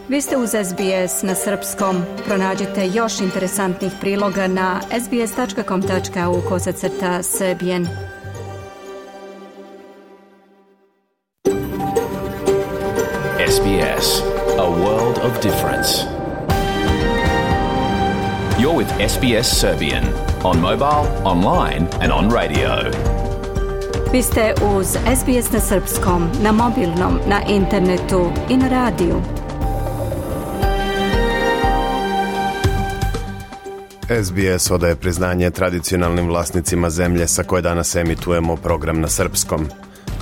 Vi ste uz SBS na srpskom. Pronađite još interesantnih priloga na sbs.com.au/serbian. SBS, a world of difference. You're with SBS Serbian on mobile, online and on radio. Vi ste uz SBS na srpskom, na mobilnom, na internetu i na radiju. SBS odaje priznanje tradicionalnim vlasnicima zemlje sa koje danas emitujemo program na srpskom.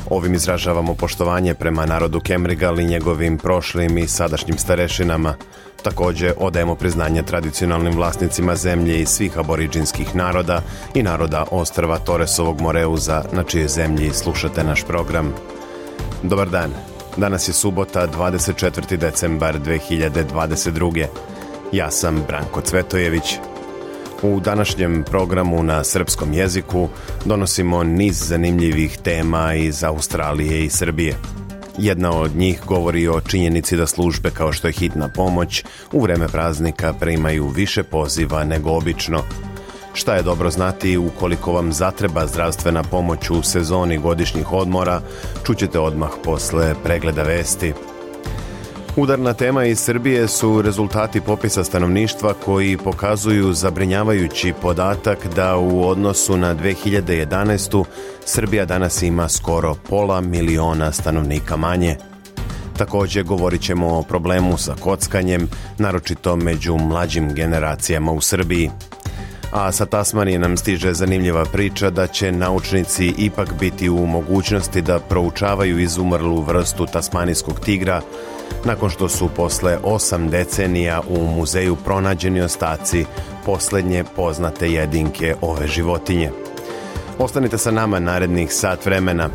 Ovim izražavamo poštovanje prema narodu Kemrigal i njegovim prošlim i sadašnjim starešinama. Također odajemo priznanje tradicionalnim vlasnicima zemlje i svih aboriđinskih naroda i naroda ostrva Toresovog Moreuza, na čije zemlji slušate naš program. Dobar dan. Danas je subota, 24. decembar 2022. Ja sam Branko Cvetojević. U današnjem programu na srpskom jeziku donosimo niz zanimljivih tema iz Australije i Srbije. Jedna od njih govori o činjenici da službe kao što je hitna pomoć u vreme praznika primaju više poziva nego obično. Šta je dobro znati ukoliko vam zatreba zdravstvena pomoć u sezoni godišnjih odmora, čućete odmah posle pregleda vesti. Udarna tema iz Srbije su rezultati popisa stanovništva koji pokazuju zabrinjavajući podatak da u odnosu na 2011. Srbija danas ima skoro 500.000 stanovnika manje. Također govorit ćemo o problemu sa kockanjem, naročito među mlađim generacijama u Srbiji. A sa Tasmanije nam stiže zanimljiva priča da će naučnici ipak biti u mogućnosti da proučavaju izumrlu vrstu tasmanijskog tigra, nakon što su posle 8 decenija u muzeju pronađeni ostaci posljednje poznate jedinke ove životinje. Ostanite sa nama narednih sat vremena.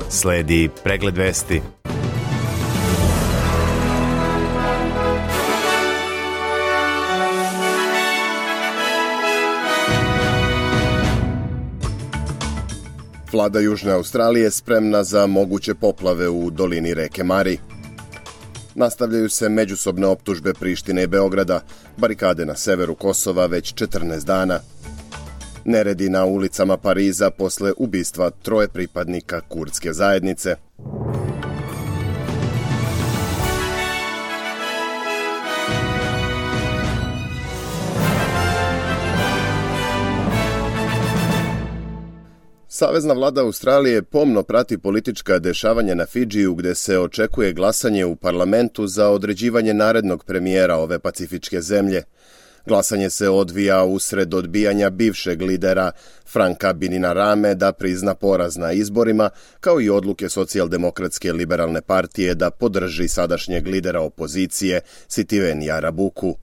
Sledi pregled vesti. Vlada Južne Australije spremna za moguće poplave u dolini reke Mari. Nastavljaju se međusobne optužbe Prištine i Beograda, barikade na severu Kosova već 14 dana. Neredi na ulicama Pariza posle ubistva 3 pripadnika kurdske zajednice. Savezna vlada Australije pomno prati politička dešavanja na Fidžiju, gde se očekuje glasanje u parlamentu za određivanje narednog premijera ove pacifičke zemlje. Glasanje se odvija usred odbijanja bivšeg lidera Franka Bainimarame da prizna poraz na izborima, kao i odluke socijaldemokratske liberalne partije da podrži sadašnjeg lidera opozicije Sitiveni Rabuku.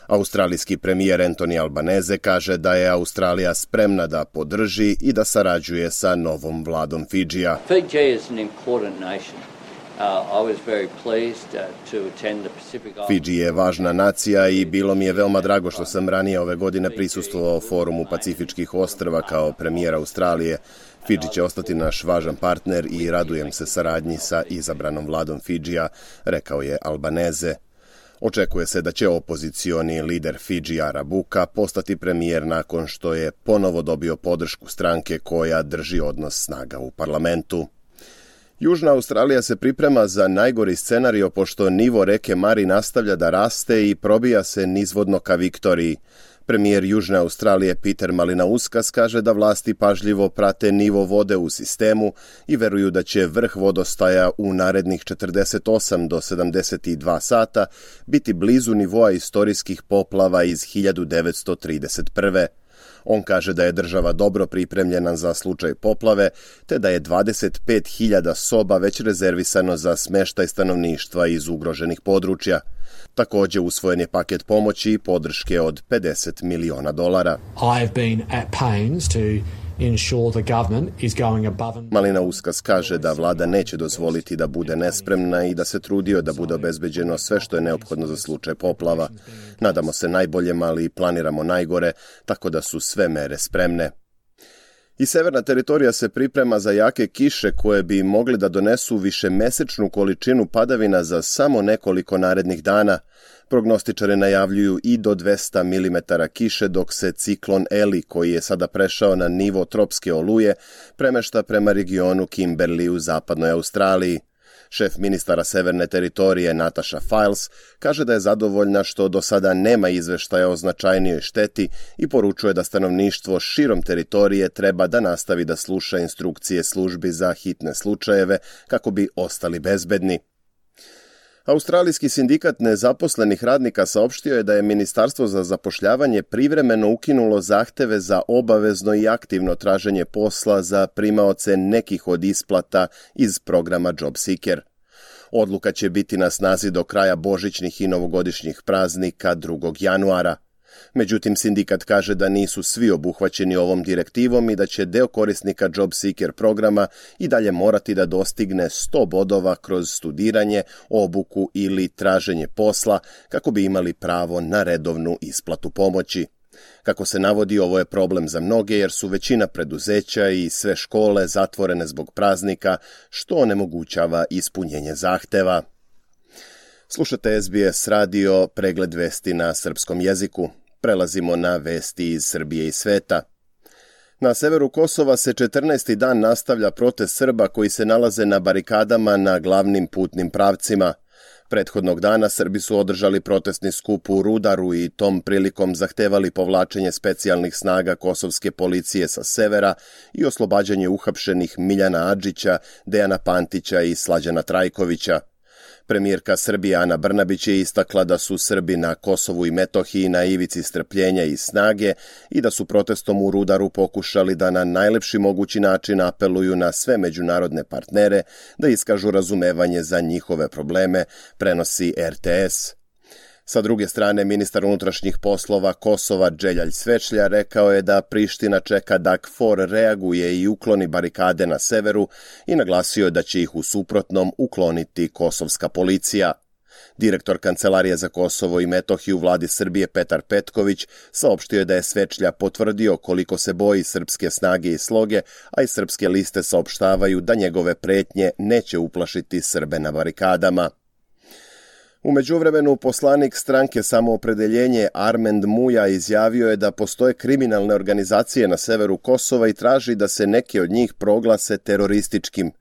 Australijski premijer Anthony Albanese kaže da je Australija spremna da podrži i da sarađuje sa novom vladom Fidžija. Fidži je važna nacija i bilo mi je veoma drago što sam ranije ove godine prisustvovao forumu Pacifičkih ostrva kao premijer Australije. Fidži će ostati naš važan partner i radujem se saradnji sa izabranom vladom Fidžija, rekao je Albanese. Očekuje se da će opozicioni lider Fidžija Rabuka postati premijer nakon što je ponovo dobio podršku stranke koja drži odnos snaga u parlamentu. Južna Australija se priprema za najgori scenario pošto nivo reke Mari nastavlja da raste i probija se nizvodno ka Viktoriji. Premijer Južne Australije Peter Malinauskas kaže da vlasti pažljivo prate nivo vode u sistemu i veruju da će vrh vodostaja u narednih 48 do 72 sata biti blizu nivoa istorijskih poplava iz 1931. On kaže da je država dobro pripremljena za slučaj poplave, te da je 25.000 soba već rezervisano za smeštaj stanovništva iz ugroženih područja. Također usvojen je paket pomoći i podrške od $50 miliona. Malinauskas kaže da vlada neće dozvoliti da bude nespremna i da se trudio da bude obezbeđeno sve što je neophodno za slučaj poplava. Nadamo se najboljem, ali planiramo najgore, tako da su sve mere spremne. I severna teritorija se priprema za jake kiše koje bi mogli da donesu višemesečnu količinu padavina za samo nekoliko narednih dana. Prognostičari najavljuju i do 200 mm kiše, dok se ciklon Eli, koji je sada prešao na nivo tropske oluje, premešta prema regionu Kimberley u zapadnoj Australiji. Šef ministara severne teritorije Natasha Files kaže da je zadovoljna što do sada nema izveštaja o značajnijoj šteti i poručuje da stanovništvo širom teritorije treba da nastavi da sluša instrukcije službi za hitne slučajeve kako bi ostali bezbedni. Australijski sindikat nezaposlenih radnika saopštio je da je Ministarstvo za zapošljavanje privremeno ukinulo zahteve za obavezno i aktivno traženje posla za primaoce nekih od isplata iz programa JobSeeker. Odluka će biti na snazi do kraja božićnih i novogodišnjih praznika 2. januara. Međutim, sindikat kaže da nisu svi obuhvaćeni ovom direktivom i da će deo korisnika JobSeeker programa i dalje morati da dostigne 100 bodova kroz studiranje, obuku ili traženje posla kako bi imali pravo na redovnu isplatu pomoći. Kako se navodi, ovo je problem za mnoge jer su većina preduzeća i sve škole zatvorene zbog praznika, što onemogućava ispunjenje zahteva. Slušate SBS radio, pregled vesti na srpskom jeziku. Prelazimo na vesti iz Srbije i sveta. Na severu Kosova se 14. dan nastavlja protest Srba koji se nalaze na barikadama na glavnim putnim pravcima. Prethodnog dana Srbi su održali protestni skup u Rudaru i tom prilikom zahtevali povlačenje specijalnih snaga kosovske policije sa severa i oslobađanje uhapšenih Miljana Adžića, Dejana Pantića i Slađana Trajkovića. Premijerka Srbije Ana Brnabić je istakla da su Srbi na Kosovu i Metohiji na ivici strpljenja i snage i da su protestom u Rudaru pokušali da na najlepši mogući način apeluju na sve međunarodne partnere da iskažu razumevanje za njihove probleme, prenosi RTS. Sa druge strane, ministar unutrašnjih poslova Kosova Dželjalj Svečlja rekao je da Priština čeka da KFOR reaguje i ukloni barikade na severu i naglasio je da će ih u suprotnom ukloniti kosovska policija. Direktor Kancelarije za Kosovo i Metohiju u vladi Srbije Petar Petković saopštio je da je Svečlja potvrdio koliko se boji srpske snage i sloge, a i srpske liste saopštavaju da njegove pretnje neće uplašiti Srbe na barikadama. U međuvremenu, poslanik stranke Samoopredeljenje Armend Muja izjavio je da postoje kriminalne organizacije na severu Kosova i traži da se neke od njih proglase terorističkim.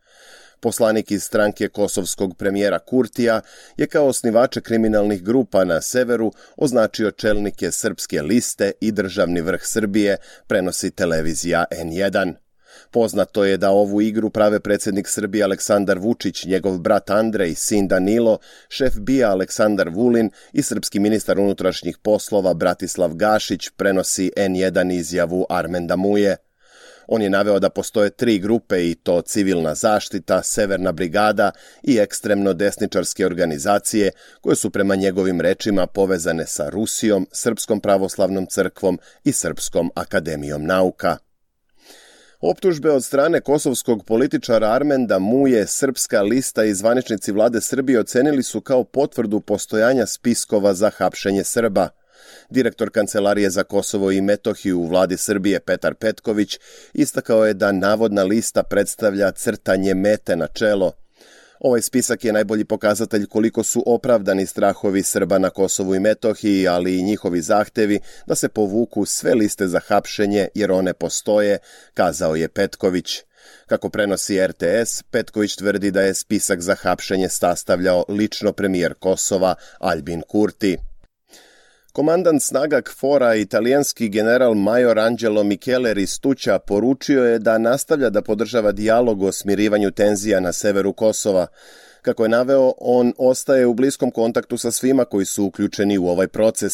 Poslanik iz stranke kosovskog premijera Kurtija je kao osnivače kriminalnih grupa na severu označio čelnike Srpske liste i državni vrh Srbije, prenosi televizija N1. Poznato je da ovu igru prave predsjednik Srbije Aleksandar Vučić, njegov brat Andrej, sin Danilo, šef BIA Aleksandar Vulin i srpski ministar unutrašnjih poslova Bratislav Gašić, prenosi N1 izjavu Armenda Muje. On je naveo da postoje 3 grupe i to Civilna zaštita, Severna brigada i ekstremno desničarske organizacije koje su prema njegovim rečima povezane sa Rusijom, Srpskom pravoslavnom crkvom i Srpskom akademijom nauka. Optužbe od strane kosovskog političara Armenda Muje Srpska lista i zvaničnici vlade Srbije ocenili su kao potvrdu postojanja spiskova za hapšenje Srba. Direktor Kancelarije za Kosovo i Metohiju u vladi Srbije Petar Petković istakao je da navodna lista predstavlja crtanje mete na čelo. Ovaj spisak je najbolji pokazatelj koliko su opravdani strahovi Srba na Kosovu i Metohiji, ali i njihovi zahtevi da se povuku sve liste za hapšenje jer one postoje, kazao je Petković. Kako prenosi RTS, Petković tvrdi da je spisak za hapšenje sastavljao lično premijer Kosova Albin Kurti. Komandant snaga KFOR-a, italijanski general major Angelo Micheler iz Tuća, poručio je da nastavlja da podržava dijalog o smirivanju tenzija na severu Kosova. Kako je naveo, on ostaje u bliskom kontaktu sa svima koji su uključeni u ovaj proces.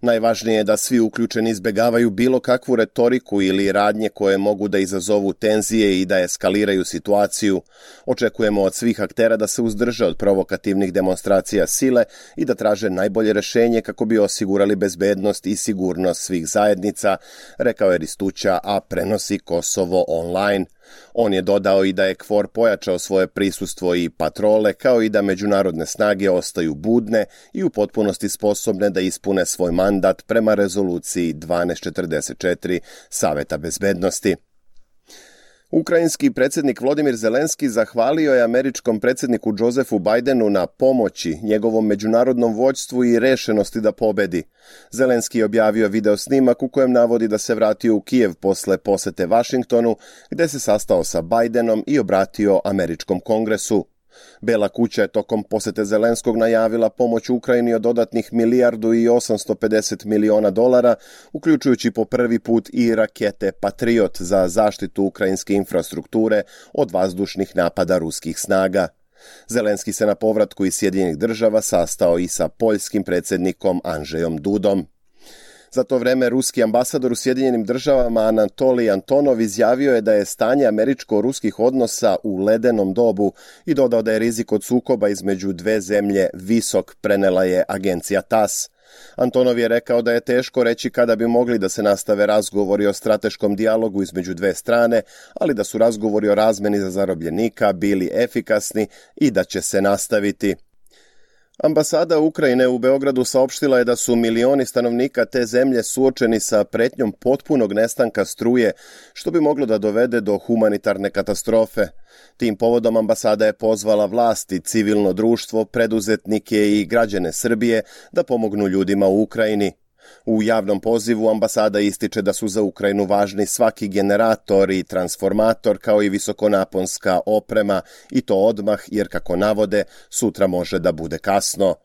Najvažnije je da svi uključeni izbegavaju bilo kakvu retoriku ili radnje koje mogu da izazovu tenzije i da eskaliraju situaciju. Očekujemo od svih aktera da se uzdrže od provokativnih demonstracija sile i da traže najbolje rešenje kako bi osigurali bezbednost i sigurnost svih zajednica, rekao je Ristuća, a prenosi Kosovo online. On je dodao i da je KFOR pojačao svoje prisustvo i patrole, kao i da međunarodne snage ostaju budne i u potpunosti sposobne da ispune svoj mandat prema rezoluciji 1244 Saveta bezbednosti. Ukrajinski predsjednik Volodymyr Zelenski zahvalio je američkom predsjedniku Josephu Bidenu na pomoći, njegovom međunarodnom vođstvu i rešenosti da pobedi. Zelenski je objavio video snimak u kojem navodi da se vratio u Kijev posle posete Vašingtonu, gde se sastao sa Bidenom i obratio američkom kongresu. Bela kuća je tokom posete Zelenskog najavila pomoć Ukrajini od dodatnih $1,850 miliona, uključujući po prvi put i rakete Patriot za zaštitu ukrajinske infrastrukture od vazdušnih napada ruskih snaga. Zelenski se na povratku iz Sjedinjenih Država sastao i sa poljskim predsjednikom Andrzejom Dudom. Za to vreme ruski ambasador u Sjedinjenim Državama Anatolij Antonov izjavio je da je stanje američko-ruskih odnosa u ledenom dobu i dodao da je rizik od sukoba između dve zemlje visok, prenela je agencija TASS. Antonov je rekao da je teško reći kada bi mogli da se nastave razgovori o strateškom dijalogu između dve strane, ali da su razgovori o razmeni za zarobljenika bili efikasni i da će se nastaviti. Ambasada Ukrajine u Beogradu saopštila je da su milioni stanovnika te zemlje suočeni sa pretnjom potpunog nestanka struje, što bi moglo da dovede do humanitarne katastrofe. Tim povodom ambasada je pozvala vlasti, civilno društvo, preduzetnike i građane Srbije da pomognu ljudima u Ukrajini. U javnom pozivu ambasada ističe da su za Ukrajinu važni svaki generator i transformator kao i visokonaponska oprema i to odmah jer kako navode sutra može da bude kasno.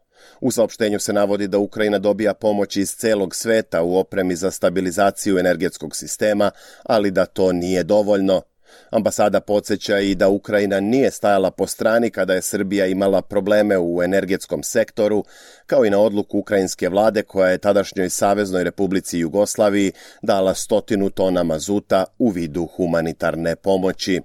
U saopštenju se navodi da Ukrajina dobija pomoć iz celog sveta u opremi za stabilizaciju energetskog sistema, ali da to nije dovoljno. Ambasada podsjeća i da Ukrajina nije stajala po strani kada je Srbija imala probleme u energetskom sektoru, kao i na odluku ukrajinske vlade koja je tadašnjoj Saveznoj Republici Jugoslaviji dala 100 tona mazuta u vidu humanitarne pomoći.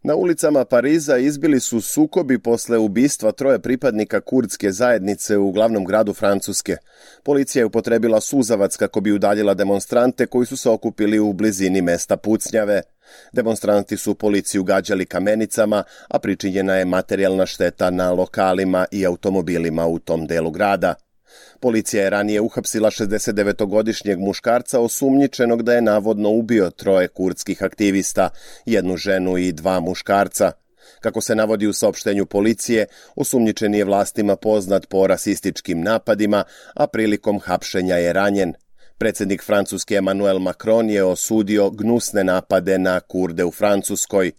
Na ulicama Pariza izbili su sukobi posle ubistva 3 pripadnika kurdske zajednice u glavnom gradu Francuske. Policija je upotrebila suzavac kako bi udaljila demonstrante koji su se okupili u blizini mesta pucnjave. Demonstranti su policiju gađali kamenicama, a pričinjena je materijalna šteta na lokalima i automobilima u tom delu grada. Policija je ranije uhapsila 69-godišnjeg muškarca osumnjičenog da je navodno ubio 3 kurdskih aktivista, 1 ženu i 2 muškarca. Kako se navodi u saopštenju policije, osumnjičeni je vlastima poznat po rasističkim napadima, a prilikom hapšenja je ranjen. Predsjednik Francuske Emmanuel Macron je osudio gnusne napade na Kurde u Francuskoj.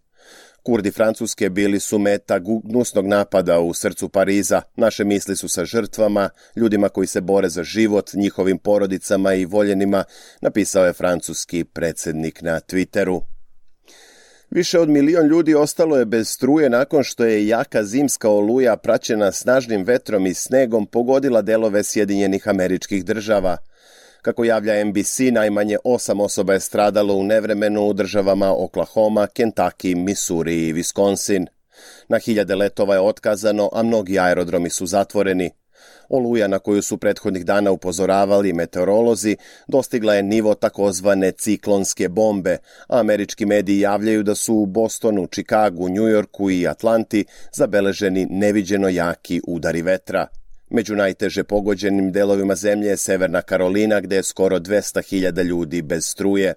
Kurdi Francuske bili su meta gnusnog napada u srcu Pariza. Naše misli su sa žrtvama, ljudima koji se bore za život, njihovim porodicama i voljenima, napisao je francuski predsjednik na Twitteru. Više od 1 milion ljudi ostalo je bez struje nakon što je jaka zimska oluja praćena snažnim vetrom i snegom pogodila delove Sjedinjenih Američkih Država. Kako javlja NBC, najmanje 8 osoba je stradalo u nevremenu u državama Oklahoma, Kentucky, Missouri i Wisconsin. Na hiljade letova je otkazano, a mnogi aerodromi su zatvoreni. Oluja na koju su prethodnih dana upozoravali meteorolozi dostigla je nivo takozvane ciklonske bombe, a američki mediji javljaju da su u Bostonu, Čikagu, Njujorku i Atlanti zabeleženi neviđeno jaki udari vetra. Među najteže pogođenim delovima zemlje je Severna Karolina, gde je skoro 200.000 ljudi bez struje.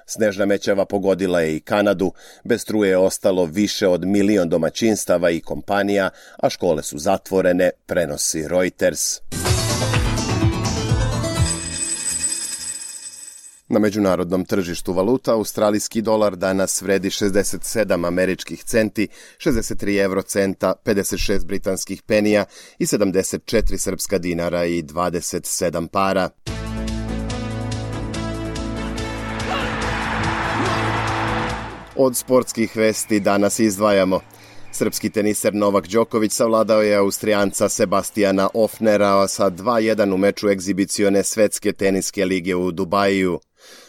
Snežna mećava pogodila je i Kanadu, bez struje je ostalo više od 1 milion domaćinstava i kompanija, a škole su zatvorene, prenosi Reuters. Na međunarodnom tržištu valuta australijski dolar danas vredi 67 američkih centi, 63 eurocenta, 56 britanskih penija i 74 srpska dinara i 27 para. Od sportskih vesti danas izdvajamo. Srpski teniser Novak Đoković savladao je Austrijanca Sebastijana Ofnera sa 2:1 u meču egzibicione svetske teniske lige u Dubaju.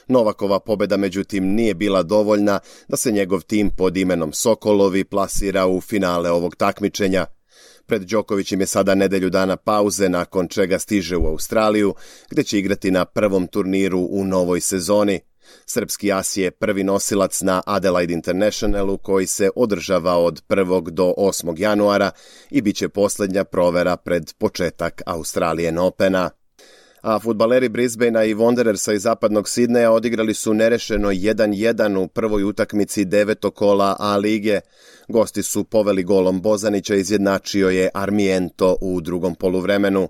Novakova pobeda međutim nije bila dovoljna da se njegov tim pod imenom Sokolovi plasira u finale ovog takmičenja. Pred Đokovićem je sada nedelju dana pauze, nakon čega stiže u Australiju, gde će igrati na prvom turniru u novoj sezoni. Srpski as je prvi nosilac na Adelaide Internationalu koji se održava od 1. do 8. januara i bit će posljednja provera pred početak Australian Opena. A fudbaleri Brisbanea i Wanderersa iz zapadnog Sidneja odigrali su nerešeno 1-1 u prvoj utakmici 9. kola A lige. Gosti su poveli golom Bozanića, izjednačio je Armiento u drugom poluvremenu.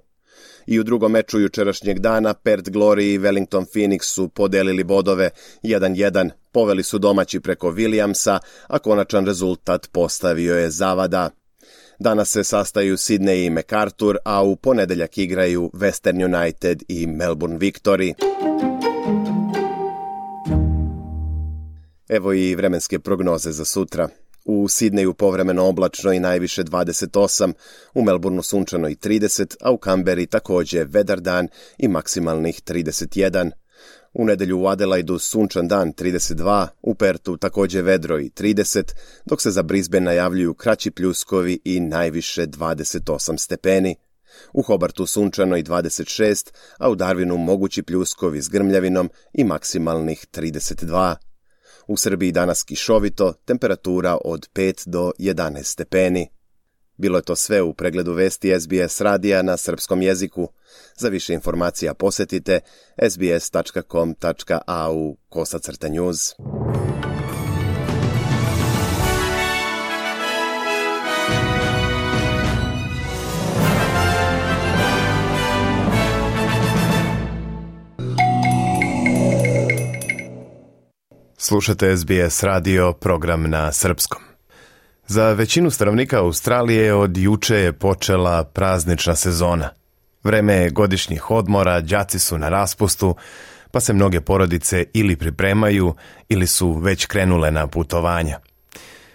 I u drugom meču jučerašnjeg dana Perth Glory i Wellington Phoenix su podelili bodove 1-1. Poveli su domaći preko Williamsa, a konačan rezultat postavio je Zavada. Danas se sastaju Sydney i MacArthur, a u ponedeljak igraju Western United i Melbourne Victory. Evo i vremenske prognoze za sutra. U Sidneju povremeno oblačno i najviše 28, u Melbourneu sunčano i 30, a u Kamberi također vedar dan i maksimalnih 31. U nedelju u Adelaidu sunčan dan 32, u Pertu također vedro i 30, dok se za Brisbane najavljuju kraći pljuskovi i najviše 28 stepeni. U Hobartu sunčano i 26, a u Darwinu mogući pljuskovi s grmljavinom i maksimalnih 32. U Srbiji danas kišovito, temperatura od 5 do 11 stepeni. Bilo je to sve u pregledu vesti SBS radija na srpskom jeziku. Za više informacija posjetite sbs.com.au/news. Slušate SBS radio, program na srpskom. Za većinu stanovnika Australije od juče je počela praznična sezona. Vreme je godišnjih odmora, đaci su na raspustu, pa se mnoge porodice ili pripremaju ili su već krenule na putovanja.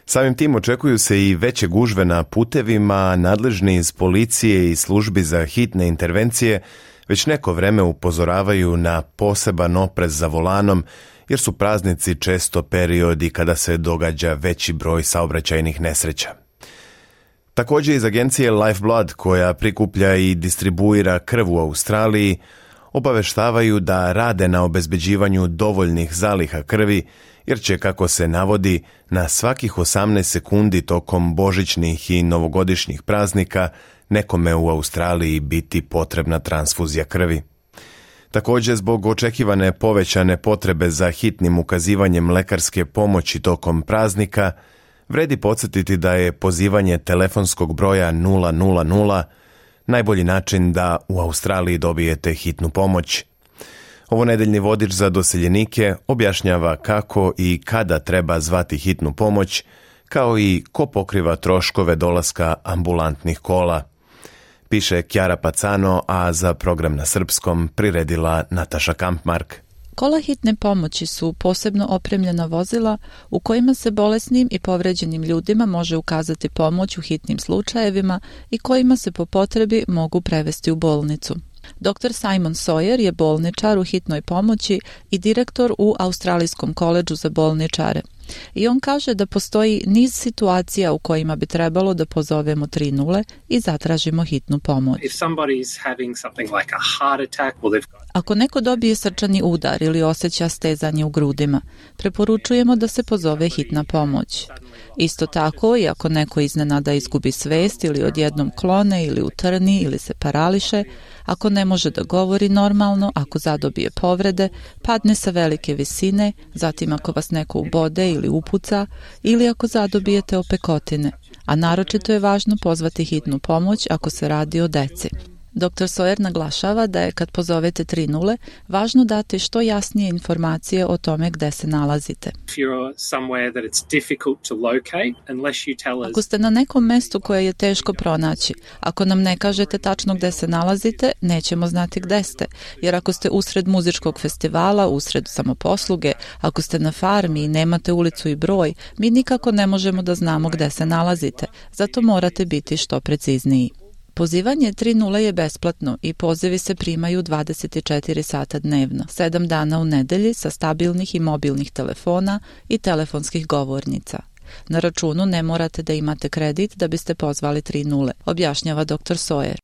Samim tim očekuju se i veće gužve na putevima, nadležni iz policije i službi za hitne intervencije već neko vreme upozoravaju na poseban oprez za volanom, jer su praznici često periodi kada se događa veći broj saobraćajnih nesreća. Također iz agencije Lifeblood, koja prikuplja i distribuira krv u Australiji, obaveštavaju da rade na obezbeđivanju dovoljnih zaliha krvi, jer će, kako se navodi, na svakih 18 sekundi tokom božićnih i novogodišnjih praznika nekome u Australiji biti potrebna transfuzija krvi. Također, zbog očekivane povećane potrebe za hitnim ukazivanjem lekarske pomoći tokom praznika, vredi podsjetiti da je pozivanje telefonskog broja 000 najbolji način da u Australiji dobijete hitnu pomoć. Ovo nedeljni vodič za doseljenike objašnjava kako i kada treba zvati hitnu pomoć, kao i ko pokriva troškove dolaska ambulantnih kola. Piše Kjara Pacano, a za program na srpskom priredila Nataša Kampmark. Kola hitne pomoći su posebno opremljena vozila u kojima se bolesnim i povređenim ljudima može ukazati pomoć u hitnim slučajevima i kojima se po potrebi mogu prevesti u bolnicu. Dr. Simon Sawyer je bolničar u hitnoj pomoći i direktor u Australijskom koledžu za bolničare. I on kaže da postoji niz situacija u kojima bi trebalo da pozovemo 30 i zatražimo hitnu pomoć. Ako neko dobije srčani udar ili osjeća stezanje u grudima, preporučujemo da se pozove hitna pomoć. Isto tako, i ako neko iznenada izgubi svest ili odjednom klone ili utrni ili se parališe, ako ne može da govori normalno, ako zadobije povrede, padne sa velike visine, zatim ako vas neko ubode ili upuca, ili ako zadobijete opekotine, a naročito je važno pozvati hitnu pomoć ako se radi o deci. Dr. Sawyer naglašava da je kad pozovete 30 važno dati što jasnije informacije o tome gde se nalazite. Ako ste na nekom mestu koje je teško pronaći, ako nam ne kažete tačno gde se nalazite, nećemo znati gde ste, jer ako ste usred muzičkog festivala, usred samoposluge, ako ste na farmi i nemate ulicu i broj, mi nikako ne možemo da znamo gde se nalazite, zato morate biti što precizniji. Pozivanje 30 je besplatno i pozivi se primaju 24 sata dnevno, 7 dana u nedelji sa stabilnih i mobilnih telefona i telefonskih govornica. Na računu ne morate da imate kredit da biste pozvali 30, objašnjava dr. Sawyer.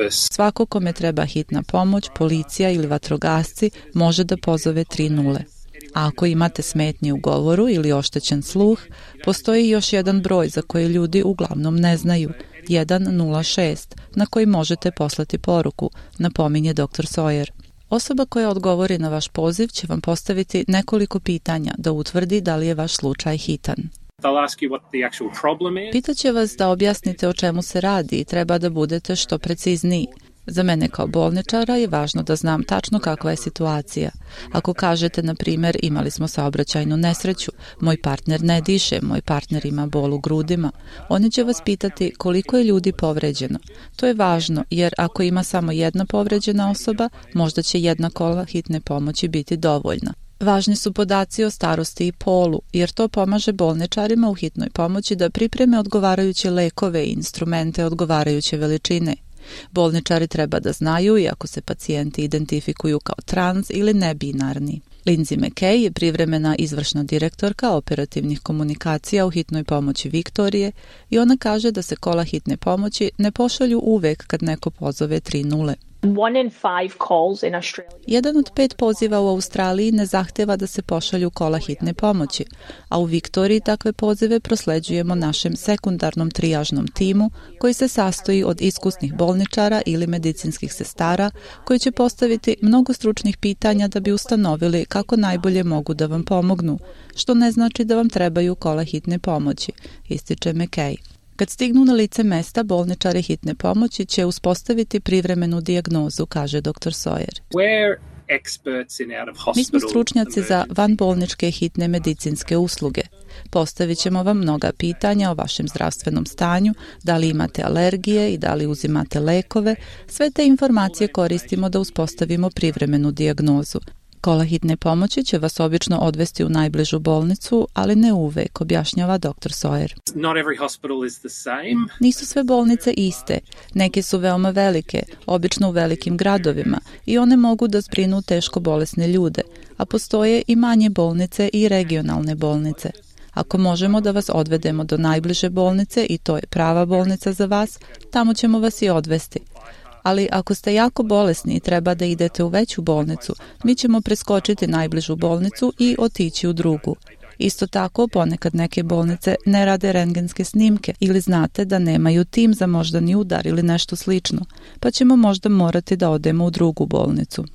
Svako kome treba hitna pomoć, policija ili vatrogasci može da pozove 30. A ako imate smetnje u govoru ili oštećen sluh, postoji još jedan broj za koji ljudi uglavnom ne znaju. 106 na koji možete poslati poruku, napominje dr. Sawyer. Osoba koja odgovori na vaš poziv će vam postaviti nekoliko pitanja da utvrdi da li je vaš slučaj hitan. Pitaće vas da objasnite o čemu se radi i treba da budete što precizniji. Za mene kao bolničara je važno da znam tačno kakva je situacija. Ako kažete, na primjer, imali smo saobraćajnu nesreću, moj partner ne diše, moj partner ima bol u grudima, oni će vas pitati koliko je ljudi povređeno. To je važno jer ako ima samo jedna povređena osoba, možda će jedna kola hitne pomoći biti dovoljna. Važni su podaci o starosti i polu, jer to pomaže bolničarima u hitnoj pomoći da pripreme odgovarajuće lekove i instrumente odgovarajuće veličine. Bolničari treba da znaju i ako se pacijenti identifikuju kao trans ili nebinarni. Lindsay McKay je privremena izvršna direktorka operativnih komunikacija u hitnoj pomoći Viktorije i ona kaže da se kola hitne pomoći ne pošalju uvek kad neko pozove 30. 1 in 5 calls in Australia. Jedan od 5 poziva u Australiji ne zahteva da se pošalju kola hitne pomoći, a u Viktoriji takve pozive prosleđujemo našem sekundarnom trijažnom timu koji se sastoji od iskusnih bolničara ili medicinskih sestara koji će postaviti mnogo stručnih pitanja da bi ustanovili kako najbolje mogu da vam pomognu, što ne znači da vam trebaju kola hitne pomoći, ističe McKay. Kad stignu na lice mesta, bolničari hitne pomoći će uspostaviti privremenu dijagnozu, kaže dr. Sawyer. Mi smo stručnjaci za vanbolničke hitne medicinske usluge. Postavit ćemo vam mnoga pitanja o vašem zdravstvenom stanju, da li imate alergije i da li uzimate lekove. Sve te informacije koristimo da uspostavimo privremenu dijagnozu. Kola hitne pomoći će vas obično odvesti u najbližu bolnicu, ali ne uvek, objašnjava dr. Sawyer. Nisu sve bolnice iste. Neke su veoma velike, obično u velikim gradovima, i one mogu da zbrinu teško bolesne ljude, a postoje i manje bolnice i regionalne bolnice. Ako možemo da vas odvedemo do najbliže bolnice i to je prava bolnica za vas, tamo ćemo vas i odvesti. Ali ako ste jako bolesni i treba da idete u veću bolnicu, mi ćemo preskočiti najbližu bolnicu i otići u drugu. Isto tako, ponekad neke bolnice ne rade rentgenske snimke ili znate da nemaju tim za moždani udar ili nešto slično, pa ćemo možda morati da odemo u drugu bolnicu.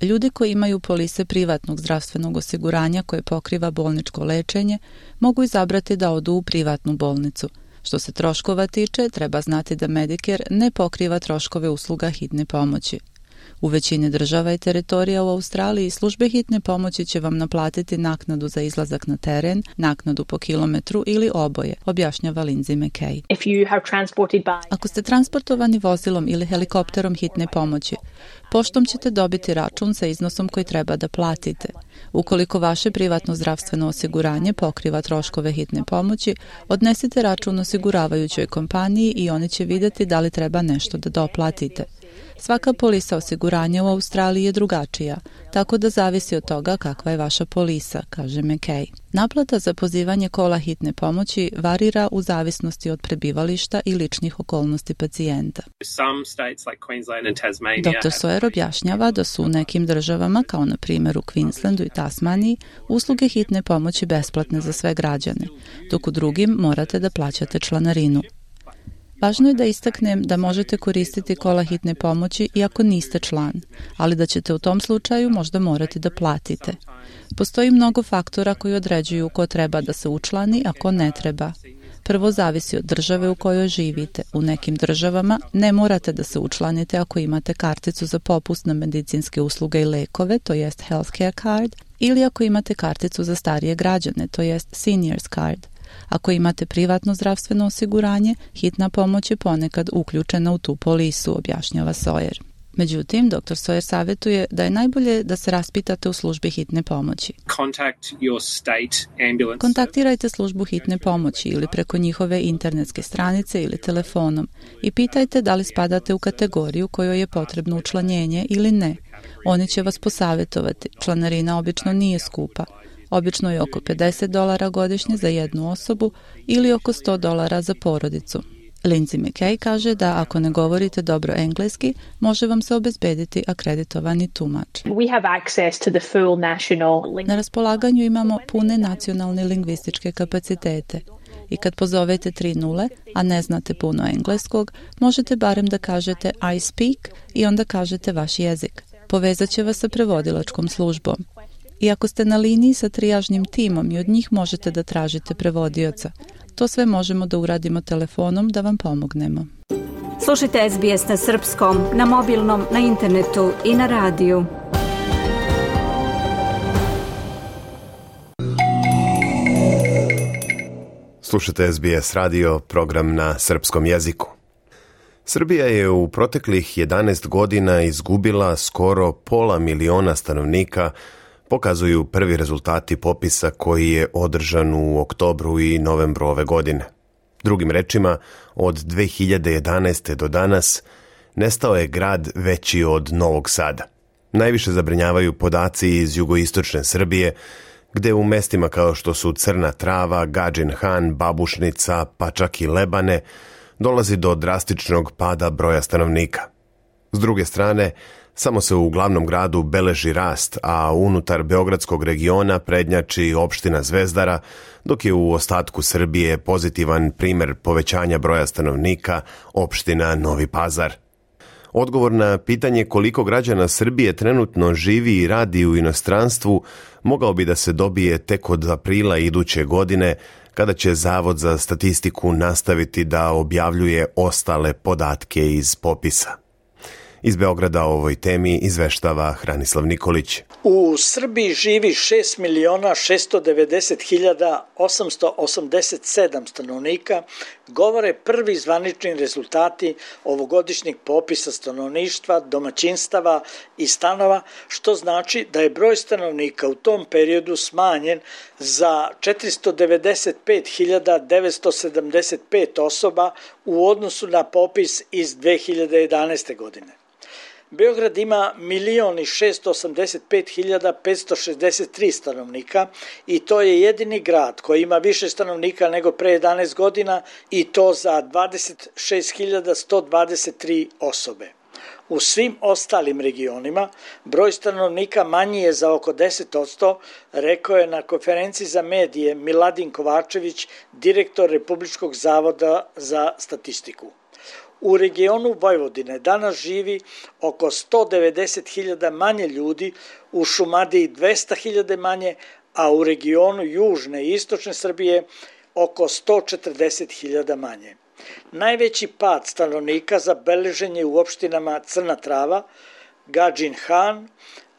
Ljudi koji imaju polise privatnog zdravstvenog osiguranja koje pokriva bolničko lečenje mogu izabrati da odu u privatnu bolnicu. Što se troškova tiče, treba znati da Medicare ne pokriva troškove usluga hitne pomoći. U većini država i teritorija u Australiji službe hitne pomoći će vam naplatiti naknadu za izlazak na teren, naknadu po kilometru ili oboje, objašnjava Lindsay McKay. Ako ste transportovani vozilom ili helikopterom hitne pomoći, poštom ćete dobiti račun sa iznosom koji treba da platite. Ukoliko vaše privatno zdravstveno osiguranje pokriva troškove hitne pomoći, odnesite račun osiguravajućoj kompaniji i oni će vidjeti da li treba nešto da doplatite. Svaka polisa osiguranja u Australiji je drugačija, tako da zavisi od toga kakva je vaša polisa, kaže McKay. Naplata za pozivanje kola hitne pomoći varira u zavisnosti od prebivališta i ličnih okolnosti pacijenta. Dr. Sawyer objašnjava da su u nekim državama, kao na primjer u Queenslandu i Tasmaniji, usluge hitne pomoći besplatne za sve građane, dok u drugim morate da plaćate članarinu. Važno je da istaknem da možete koristiti kola hitne pomoći i ako niste član, ali da ćete u tom slučaju možda morati da platite. Postoji mnogo faktora koji određuju ko treba da se učlani, a ko ne treba. Prvo zavisi od države u kojoj živite. U nekim državama ne morate da se učlanite ako imate karticu za popust na medicinske usluge i lekove, to jest healthcare card, ili ako imate karticu za starije građane, to jest seniors card. Ako imate privatno zdravstveno osiguranje, hitna pomoć je ponekad uključena u tu polisu, objašnjava Sawyer. Međutim, dr. Sawyer savjetuje da je najbolje da se raspitate u službi hitne pomoći. Kontaktirajte službu hitne pomoći ili preko njihove internetske stranice ili telefonom i pitajte da li spadate u kategoriju kojoj je potrebno učlanjenje ili ne. Oni će vas posavjetovati. Članarina obično nije skupa. Obično je oko $50 godišnje za jednu osobu ili oko $100 za porodicu. Lindsay McKay kaže da ako ne govorite dobro engleski, može vam se obezbediti akreditovani tumač. Na raspolaganju imamo pune nacionalne lingvističke kapacitete. I kad pozovete 30, a ne znate puno engleskog, možete barem da kažete I speak i onda kažete vaš jezik. Povezat će vas sa prevodilačkom službom. I ako ste na liniji sa trijažnim timom i od njih možete da tražite prevodioca. To sve možemo da uradimo telefonom da vam pomognemo. Slušajte SBS na srpskom, na mobilnom, na internetu i na radiju. Slušajte SBS radio, program na srpskom jeziku. Srbija je u proteklih 11 godina izgubila skoro 500.000 stanovnika, pokazuju prvi rezultati popisa koji je održan u oktobru i novembru ove godine. Drugim rečima, od 2011. do danas nestao je grad veći od Novog Sada. Najviše zabrinjavaju podaci iz jugoistočne Srbije, gde u mestima kao što su Crna Trava, Gadžin Han, Babušnica, pa čak i Lebane, dolazi do drastičnog pada broja stanovnika. S druge strane, samo se u glavnom gradu beleži rast, a unutar beogradskog regiona prednjači opština Zvezdara, dok je u ostatku Srbije pozitivan primer povećanja broja stanovnika opština Novi Pazar. Odgovor na pitanje koliko građana Srbije trenutno živi i radi u inostranstvu mogao bi da se dobije tek od aprila iduće godine, kada će Zavod za statistiku nastaviti da objavljuje ostale podatke iz popisa. Iz Beograda o ovoj temi izveštava Hranislav Nikolić. U Srbiji živi 6.690.887 stanovnika, govore prvi zvanični rezultati ovogodišnjeg popisa stanovništva, domaćinstava i stanova, što znači da je broj stanovnika u tom periodu smanjen za 495.975 osoba u odnosu na popis iz 2011. godine. Beograd ima 1.685.563 stanovnika i to je jedini grad koji ima više stanovnika nego pre 11 godina i to za 26.123 osobe. U svim ostalim regionima broj stanovnika manji je za oko 10%, rekao je na konferenciji za medije Miladin Kovačević, direktor Republičkog zavoda za statistiku. U regionu Vojvodine danas živi oko 190.000 manje ljudi, u Šumadiji 200.000 manje, a u regionu Južne i Istočne Srbije oko 140.000 manje. Najveći pad stanovnika zabeležen je u opštinama Crna Trava, Gadžin Han,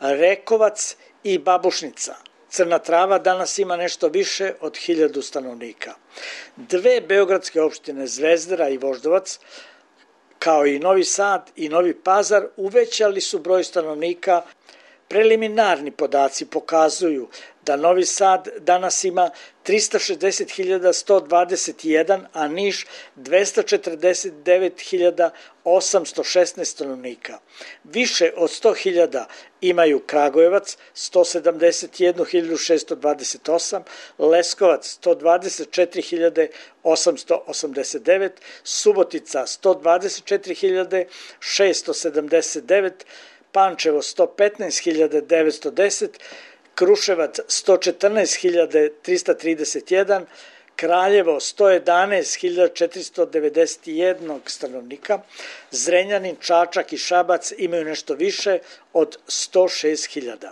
Rekovac i Babušnica. Crna Trava danas ima nešto više od 1000 stanovnika. Dve beogradske opštine Zvezdara i Voždovac, kao i Novi Sad i Novi Pazar, uvećali su broj stanovnika. Preliminarni podaci pokazuju da Novi Sad danas ima 360.121, a Niš 249.816 stanovnika. Više od 100.000 imaju Kragujevac 171.628, Leskovac 124.889, Subotica 124.679, Pančevo 115.910, Kruševac 114.331, Kraljevo 111.491 stanovnika, Zrenjanin, Čačak i Šabac imaju nešto više od 106.000.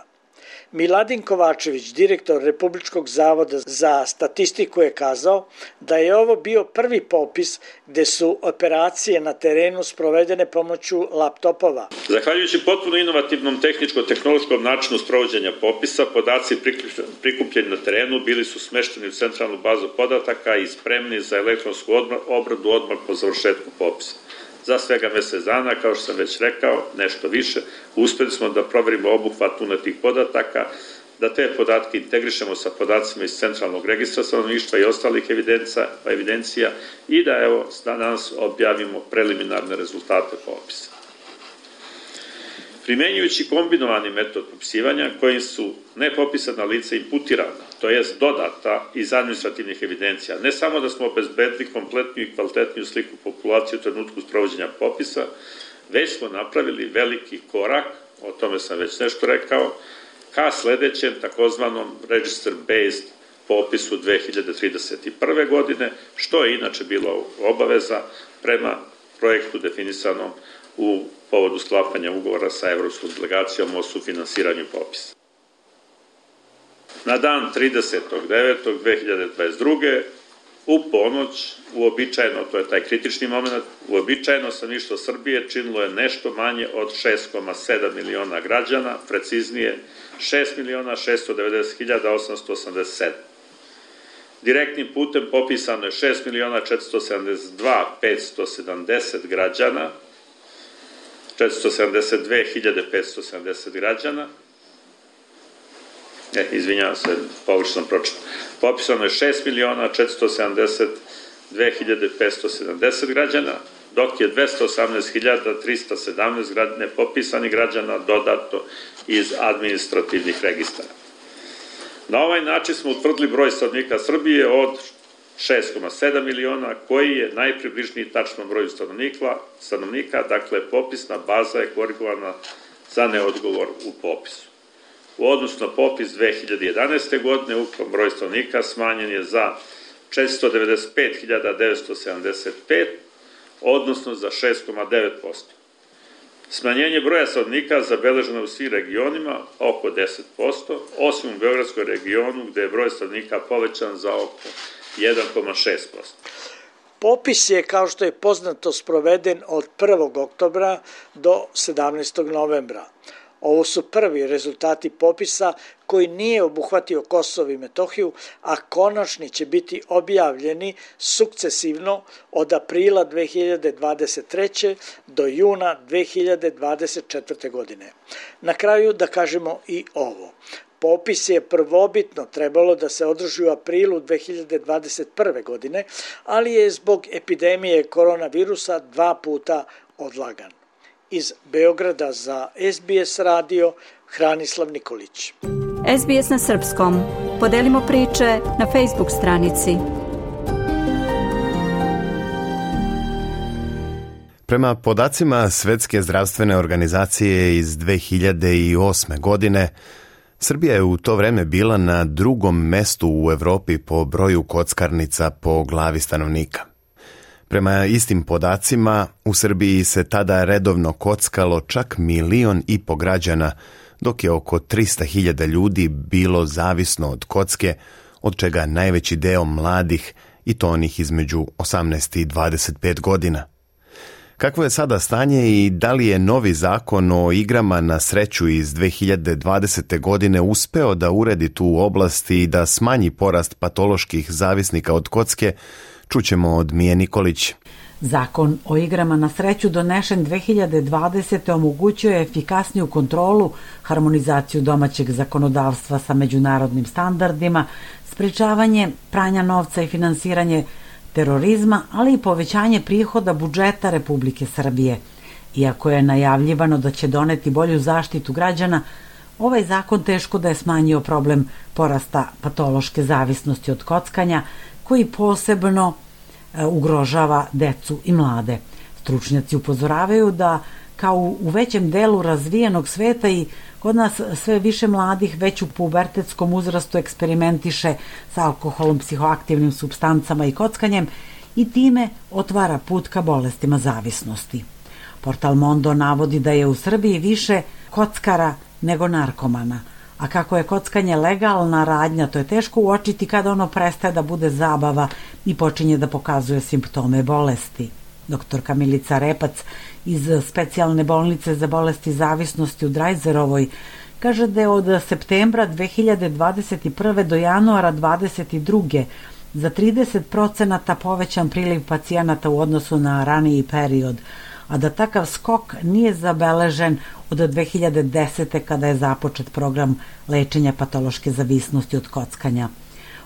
Miladin Kovačević, direktor Republičkog zavoda za statistiku, je kazao da je ovo bio prvi popis gde su operacije na terenu sprovedene pomoću laptopova. Zahvaljujući potpuno inovativnom tehničko-tehnološkom načinu sprovođenja popisa, podaci prikupljeni na terenu bili su smešteni u centralnu bazu podataka i spremni za elektronsku obradu odmah po završetku popisa. Za svega mesec dana, kao što sam već rekao, nešto više, uspeli smo da proverimo obuhvat unetih podataka, da te podatke integrišemo sa podacima iz centralnog registra stanovništva i ostalih evidencija i da danas objavimo preliminarne rezultate popisa. Primenjujući kombinovani metod popisivanja kojim su nepopisana lica imputirana, to jest dodata iz administrativnih evidencija, ne samo da smo obezbedili kompletniju i kvalitetniju sliku populacije u trenutku sprovođenja popisa, već smo napravili veliki korak, o tome sam već nešto rekao, ka sledećem takozvanom register-based popisu 2031. godine, što je inače bilo obaveza prema projektu definisanom u povodu sklapanja ugovora sa Evropskom delegacijom o sufinansiranju popisa. Na dan 30.9.2022. u ponoć, uobičajeno, to je taj kritični moment, uobičajeno stanovništvo Srbije činilo je nešto manje od 6,7 miliona građana, preciznije 6.690.887. Direktnim putem popisano je 6.472.570 građana, 472.570 građana, izvinjavam se, pogrešno sam pročitao. Popisano je 6.472.570 građana, dok je 218.317 nepopisanih građana dodato iz administrativnih registara. Na ovaj način smo utvrdili broj stanovnika Srbije od 6,7 miliona, koji je najpribližniji tačnom broju stanovnika, dakle popisna baza je korigovana za neodgovor u popisu. U odnosu na popis 2011. godine ukupan broj stanovnika smanjen je za 495.975, odnosno za 6,9%. Smanjenje broja stanovnika zabeleženo je u svim regionima oko 10%, osim u Beogradskom regionu gde je broj stanovnika povećan za oko 1,6%. Popis je, kao što je poznato, sproveden od 1. oktobra do 17. novembra. Ovo su prvi rezultati popisa koji nije obuhvatio Kosovo i Metohiju, a konačni će biti objavljeni sukcesivno od aprila 2023. do juna 2024. godine. Na kraju da kažemo i ovo. Popis je prvobitno trebalo da se održi u aprilu 2021. godine, ali je zbog epidemije koronavirusa 2 puta odlagan. Iz Beograda za SBS radio, Hranislav Nikolić. SBS na srpskom. Podelimo priče na Facebook stranici. Prema podacima Svetske zdravstvene organizacije iz 2008. godine, Srbija je u to vreme bila na 2. mestu u Evropi po broju kockarnica po glavi stanovnika. Prema istim podacima, u Srbiji se tada redovno kockalo čak 1,5 miliona građana, dok je oko 300.000 ljudi bilo zavisno od kocke, od čega najveći deo mladih i to onih između 18 i 25 godina. Kakvo je sada stanje i da li je novi zakon o igrama na sreću iz 2020. godine uspeo da uredi tu oblast i da smanji porast patoloških zavisnika od kocke, čućemo od Mije Nikolić. Zakon o igrama na sreću donešen 2020. omogućuje efikasniju kontrolu, harmonizaciju domaćeg zakonodavstva sa međunarodnim standardima, sprečavanje pranja novca i finansiranje terorizma, ali i povećanje prihoda budžeta Republike Srbije. Iako je najavljivano da će doneti bolju zaštitu građana, ovaj zakon teško da je smanjio problem porasta patološke zavisnosti od kockanja, koji posebno ugrožava decu i mlade. Stručnjaci upozoravaju da kao u većem delu razvijenog sveta i kod nas sve više mladih već u pubertetskom uzrastu eksperimentiše sa alkoholom, psihoaktivnim supstancama i kockanjem i time otvara put ka bolestima zavisnosti. Portal Mondo navodi da je u Srbiji više kockara nego narkomana, a kako je kockanje legalna radnja, to je teško uočiti kada ono prestaje da bude zabava i počinje da pokazuje simptome bolesti. Doktorka Milica Repac iz specijalne bolnice za bolesti zavisnosti u Drajzerovoj kaže da je od septembra 2021. do januara 2022. za 30% povećan priliv pacijenata u odnosu na raniji period, a da takav skok nije zabeležen od 2010. kada je započet program lečenja patološke zavisnosti od kockanja.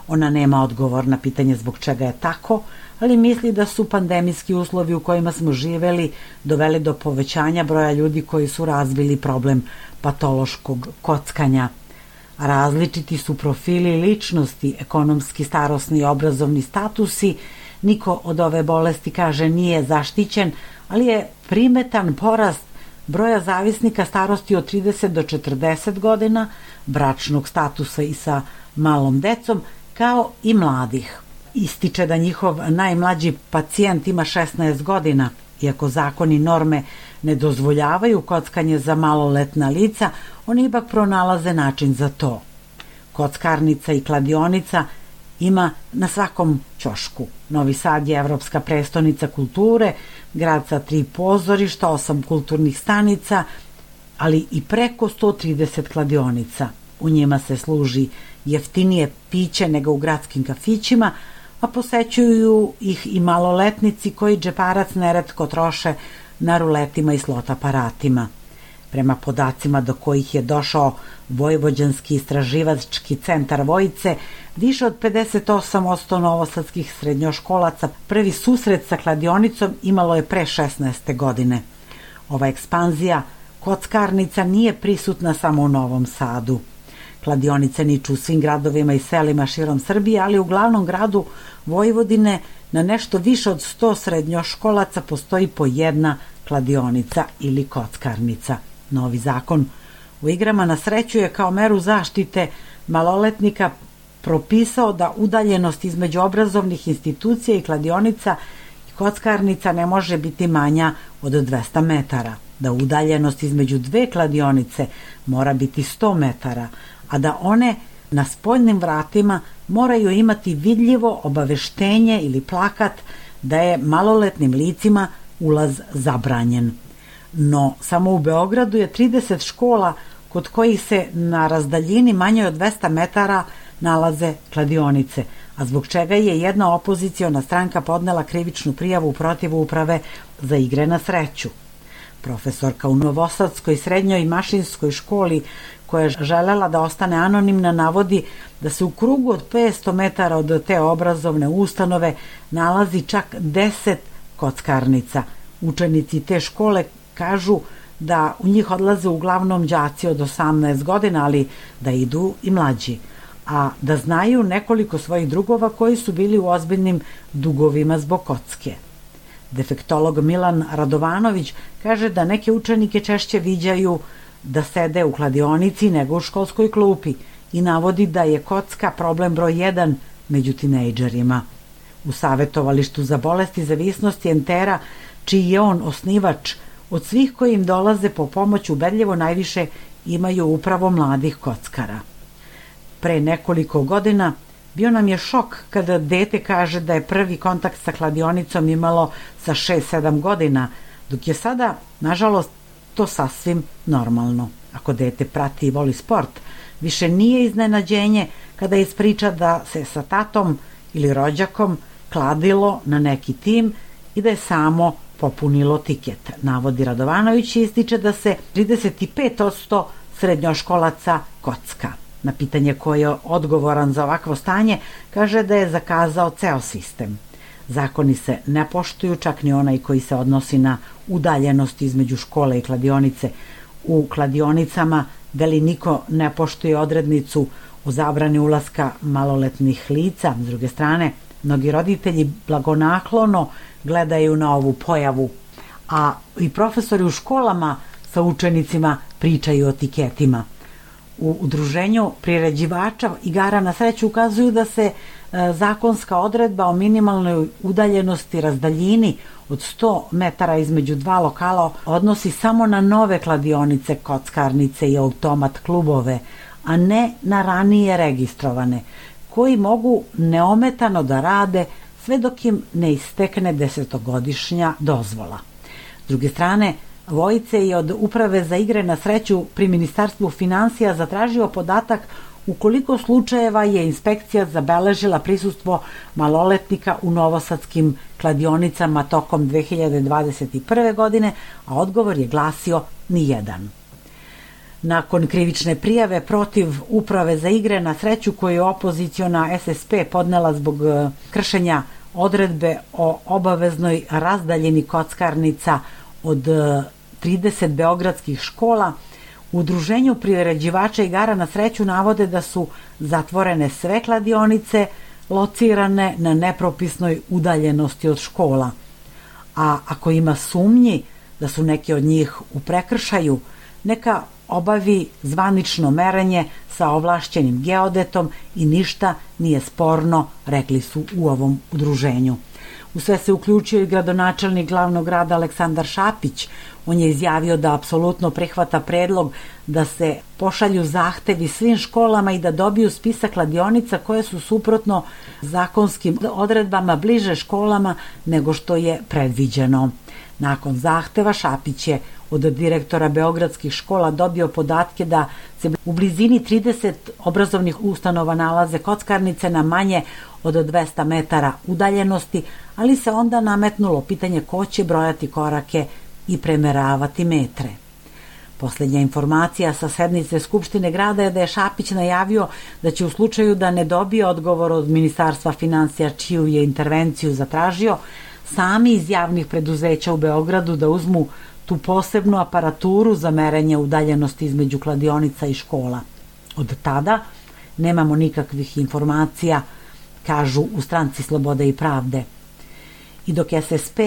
Ona nema odgovor na pitanje zbog čega je tako, ali misli da su pandemijski uslovi u kojima smo živeli doveli do povećanja broja ljudi koji su razvili problem patološkog kockanja. Različiti su profili ličnosti, ekonomski, starosni i obrazovni statusi. Niko od ove bolesti, kaže, nije zaštićen, ali je primetan porast broja zavisnika starosti od 30 do 40 godina, bračnog statusa i sa malom decom, kao i mladih. Ističe da njihov najmlađi pacijent ima 16 godina, iako zakoni i norme ne dozvoljavaju kockanje za maloletna lica, oni ipak pronalaze način za to. Kockarnica i kladionica ima na svakom ćošku. Novi Sad je evropska prestonica kulture, grad sa 3 pozorišta, 8 kulturnih stanica, ali i preko 130 kladionica. U njima se služi jeftinije piće nego u gradskim kafićima, a posećuju ih i maloletnici koji džeparac neretko troše na ruletima i slot aparatima. Prema podacima do kojih je došao Vojvođanski istraživački centar Vojice, više od 58% novosadskih srednjoškolaca prvi susret sa kladionicom imalo je pre 16. godine. Ova ekspanzija kockarnica nije prisutna samo u Novom Sadu. Kladionice niču u svim gradovima i selima širom Srbije, ali u glavnom gradu Vojvodine na nešto više od 100 srednjoškolaca postoji po jedna kladionica ili kockarnica. Novi zakon o igrama na sreću je kao meru zaštite maloletnika propisao da udaljenost između obrazovnih institucija i kladionica i kockarnica ne može biti manja od 200 metara, da udaljenost između 2 kladionice mora biti 100 metara, a da one na spoljnim vratima moraju imati vidljivo obaveštenje ili plakat da je maloletnim licima ulaz zabranjen. No, samo u Beogradu je 30 škola kod kojih se na razdaljini manje od 200 metara nalaze kladionice, a zbog čega je jedna opoziciona stranka podnela krivičnu prijavu protiv uprave za igre na sreću. Profesorka u Novosadskoj srednjoj mašinskoj školi, koja je želela da ostane anonimna, navodi da se u krugu od 500 metara od te obrazovne ustanove nalazi čak 10 kockarnica. Učenici te škole kažu da u njih odlaze uglavnom đaci od 18 godina, ali da idu i mlađi, a da znaju nekoliko svojih drugova koji su bili u ozbiljnim dugovima zbog kocke. Defektolog Milan Radovanović kaže da neke učenike češće viđaju da sede u kladionici nego u školskoj klupi i navodi da je kocka problem broj 1 među tinejdžerima. U Savetovalištu za bolesti zavisnosti Entera, čiji je on osnivač, od svih koji im dolaze po pomoć ubedljivo najviše imaju upravo mladih kockara. Pre nekoliko godina bio nam je šok kada dete kaže da je prvi kontakt sa kladionicom imalo sa 6-7 godina, dok je sada, nažalost, to sasvim normalno. Ako dete prati i voli sport, više nije iznenađenje kada ispriča da se sa tatom ili rođakom kladilo na neki tim i da je samo popunilo tiket. Navodi Radovanović i ističe da se 35% srednjoškolaca kocka. Na pitanje ko je odgovoran za ovakvo stanje, kaže da je zakazao ceo sistem. Zakoni se ne poštuju, čak ni onaj koji se odnosi na udaljenost između škole i kladionice. U kladionicama veli niko ne poštuje odrednicu o zabrani ulaska maloletnih lica. S druge strane, mnogi roditelji blagonaklono gledaju na ovu pojavu, a i profesori u školama sa učenicima pričaju o tiketima. U udruženju priređivača igara na sreću ukazuju da se zakonska odredba o minimalnoj udaljenosti razdaljini od 100 metara između 2 lokala odnosi samo na nove kladionice, kockarnice i automat klubove, a ne na ranije registrovane, koji mogu neometano da rade sve dok im ne istekne 10-godišnja dozvola. S druge strane, Vojice je od Uprave za igre na sreću pri Ministarstvu finansija zatražio podatak u koliko slučajeva je inspekcija zabeležila prisustvo maloletnika u novosadskim kladionicama tokom 2021. godine, a odgovor je glasio nijedan. Nakon krivične prijave protiv Uprave za igre na sreću koju je opoziciona SSP podnela zbog kršenja odredbe o obaveznoj razdaljini kockarnica od 30 beogradskih škola, u udruženju priređivača igara na sreću navode da su zatvorene sve kladionice locirane na nepropisnoj udaljenosti od škola. A ako ima sumnji da su neke od njih u prekršaju, neka obavi zvanično merenje sa ovlašćenim geodetom i ništa nije sporno, rekli su u ovom udruženju. U sve se uključio i gradonačelnik glavnog grada Aleksandar Šapić. On je izjavio da apsolutno prihvata predlog da se pošalju zahtevi svim školama i da dobiju spisak kladionica koje su suprotno zakonskim odredbama bliže školama nego što je predviđeno. Nakon zahteva Šapić je od direktora beogradskih škola dobio podatke da se u blizini 30 obrazovnih ustanova nalaze kockarnice na manje od 200 metara udaljenosti, ali se onda nametnulo pitanje ko će brojati korake i premeravati metre. Posljednja informacija sa sednice Skupštine grada je da je Šapić najavio da će u slučaju da ne dobije odgovor od Ministarstva finansija čiju je intervenciju zatražio, sami iz javnih preduzeća u Beogradu da uzmu tu posebnu aparaturu za merenje udaljenosti između kladionica i škola. Od tada nemamo nikakvih informacija, kažu u Stranci Slobode i pravde. I dok SSP,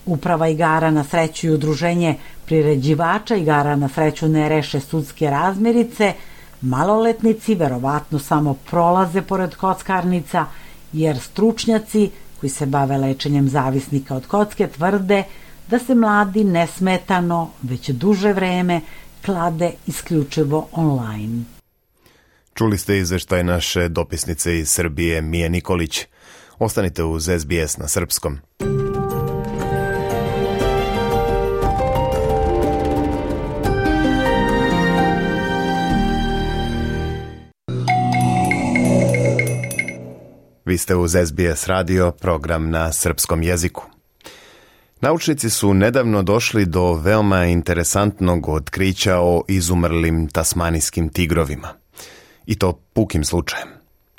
Uprava igara na sreću i udruženje priređivača igara na sreću ne reše sudske razmirice, maloletnici verovatno samo prolaze pored kockarnica, jer stručnjaci koji se bave lečenjem zavisnika od kocke tvrde da se mladi nesmetano već duže vreme klade isključivo online. Čuli ste izveštaj naše dopisnice iz Srbije Mije Nikolić. Ostanite uz SBS na srpskom. Vi ste uz SBS radio, program na srpskom jeziku. Naučnici su nedavno došli do veoma interesantnog otkrića o izumrlim tasmanijskim tigrovima. I to pukim slučajem.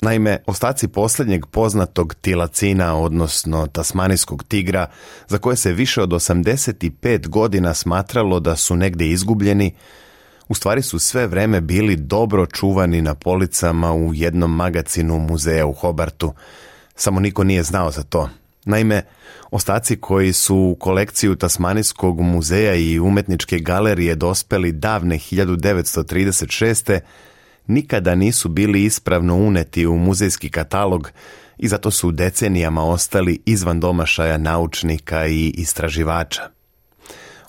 Naime, ostaci posljednjeg poznatog tilacina, odnosno tasmanijskog tigra, za koje se više od 85 godina smatralo da su negdje izgubljeni, u stvari su sve vreme bili dobro čuvani na policama u jednom magacinu muzeja u Hobartu. Samo niko nije znao za to. Naime, ostaci koji su u kolekciju Tasmanijskog muzeja i umetničke galerije dospeli davne 1936. nikada nisu bili ispravno uneti u muzejski katalog i zato su decenijama ostali izvan domašaja naučnika i istraživača.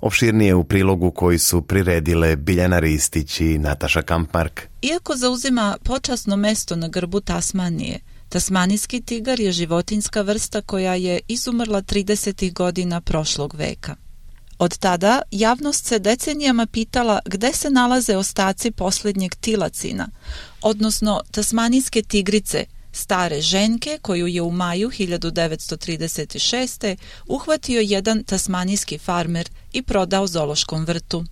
Opširnije u prilogu koji su priredile Biljana Ristić i Nataša Kampmark. Iako zauzima počasno mesto na grbu Tasmanije, tasmanijski tigar je životinjska vrsta koja je izumrla 30. godina prošlog veka. Od tada javnost se decenijama pitala gde se nalaze ostaci posljednjeg tilacina, odnosno tasmanijske tigrice, stare ženke koju je u maju 1936. uhvatio jedan tasmanijski farmer i prodao zoološkom vrtu.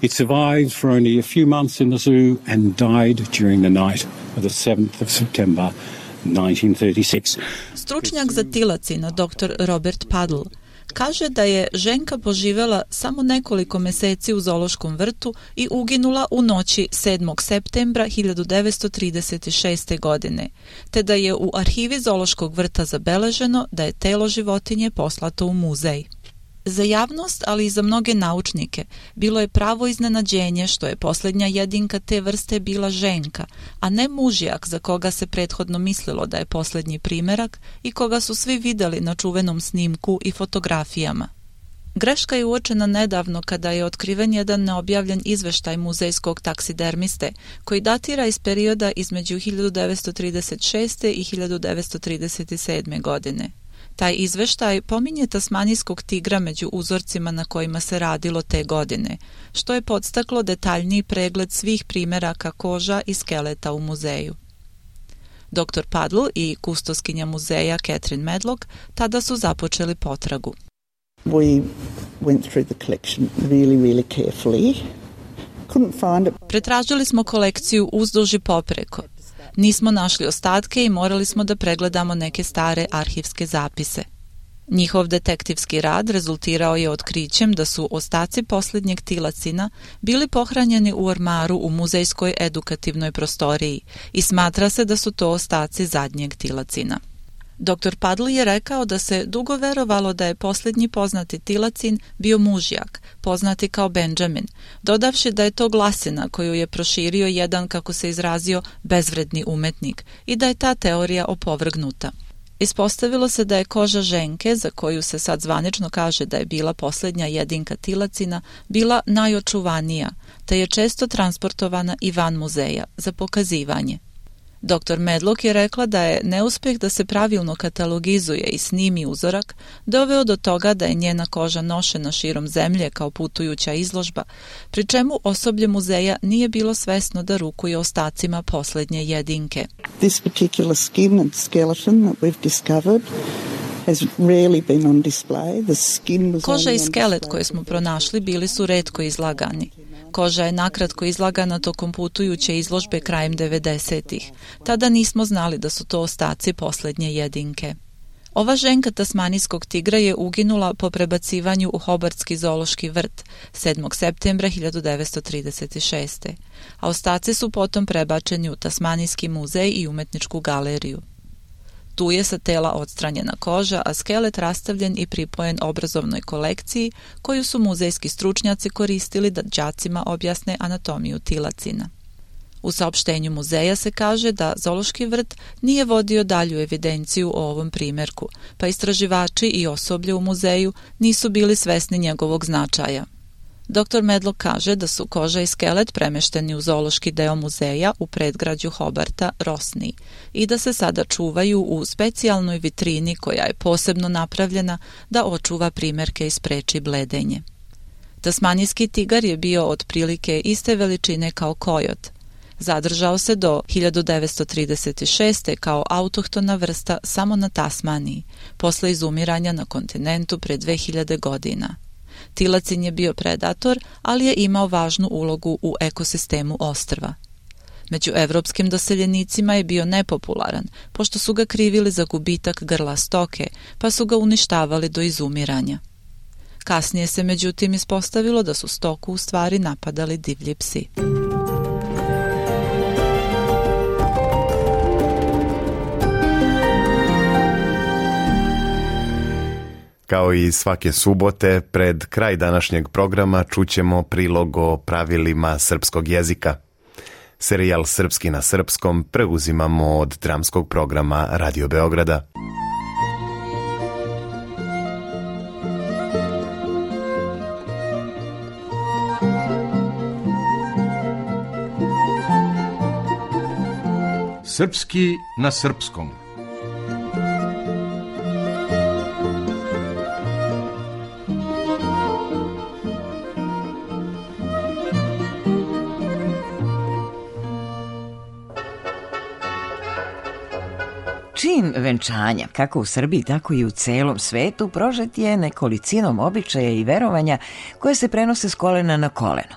It survived for only a few months in the zoo and died during the night of the 7th of September 1936. Stručnjak za tilacina, dr. Robert Paddle, kaže da je ženka poživjela samo nekoliko meseci u zoološkom vrtu i uginula u noći 7. septembra 1936. godine, te da je u arhivi zoološkog vrta zabeleženo da je telo životinje poslato u muzej. Za javnost, ali i za mnoge naučnike, bilo je pravo iznenađenje što je posljednja jedinka te vrste bila ženka, a ne mužjak za koga se prethodno mislilo da je posljednji primerak i koga su svi vidjeli na čuvenom snimku i fotografijama. Greška je uočena nedavno kada je otkriven jedan neobjavljen izveštaj muzejskog taksidermiste koji datira iz perioda između 1936. i 1937. godine. Taj izveštaj pominje tasmanijskog tigra među uzorcima na kojima se radilo te godine, što je podstaklo detaljniji pregled svih primeraka koža i skeleta u muzeju. Dr. Paddle i kustoskinja muzeja Catherine Medlock tada su započeli potragu. We went through the collection really carefully. Couldn't find it. Pretražili smo kolekciju uzduž i popreko. Nismo našli ostatke i morali smo da pregledamo neke stare arhivske zapise. Njihov detektivski rad rezultirao je otkrićem da su ostaci posljednjeg tilacina bili pohranjeni u ormaru u muzejskoj edukativnoj prostoriji i smatra se da su to ostaci zadnjeg tilacina. Dr. Padl je rekao da se dugo verovalo da je posljednji poznati Tilacin bio mužjak, poznati kao Benjamin, dodavši da je to glasina koju je proširio jedan, kako se izrazio, bezvredni umetnik i da je ta teorija opovrgnuta. Ispostavilo se da je koža ženke, za koju se sad zvanično kaže da je bila posljednja jedinka Tilacina, bila najočuvanija, te je često transportovana i van muzeja za pokazivanje. Dr. Medlock je rekla da je neuspjeh da se pravilno katalogizuje i snimi uzorak doveo do toga da je njena koža nošena širom zemlje kao putujuća izložba, pri čemu osoblje muzeja nije bilo svesno da rukuje ostacima posljednje jedinke. This particular skin and skeleton that we've discovered has rarely been on display. The skin was Koža i skelet koje smo pronašli bili su retko izlagani. Koža je nakratko izlagana tokom putujuće izložbe krajem 90-ih. Tada nismo znali da su to ostaci posljednje jedinke. Ova ženka tasmanijskog tigra je uginula po prebacivanju u Hobartski zoološki vrt 7. septembra 1936. A ostaci su potom prebačeni u Tasmanijski muzej i umetničku galeriju. Tu je sa tela odstranjena koža, a skelet rastavljen i pripojen obrazovnoj kolekciji koju su muzejski stručnjaci koristili da đacima objasne anatomiju tilacina. U saopštenju muzeja se kaže da zoološki vrt nije vodio dalju evidenciju o ovom primjerku, pa istraživači i osoblje u muzeju nisu bili svesni njegovog značaja. Dr. Medlock kaže da su koža i skelet premešteni u zoološki deo muzeja u predgrađu Hobarta, Rosni, i da se sada čuvaju u specijalnoj vitrini koja je posebno napravljena da očuva primjerke i spreči bledenje. Tasmanijski tigar je bio otprilike iste veličine kao kojot. Zadržao se do 1936. kao autohtona vrsta samo na Tasmaniji, posle izumiranja na kontinentu pre 2000 godina. Tilacin je bio predator, ali je imao važnu ulogu u ekosistemu ostrva. Među evropskim doseljenicima je bio nepopularan, pošto su ga krivili za gubitak grla stoke, pa su ga uništavali do izumiranja. Kasnije se međutim ispostavilo da su stoku u stvari napadali divlji psi. Kao i svake subote, pred kraj današnjeg programa čućemo prilog o pravilima srpskog jezika. Serijal Srpski na srpskom preuzimamo od dramskog programa Radio Beograda. Srpski na srpskom. Čin venčanja, kako u Srbiji, tako i u celom svetu, prožet je nekolicinom običaja i verovanja koje se prenose s kolena na koleno.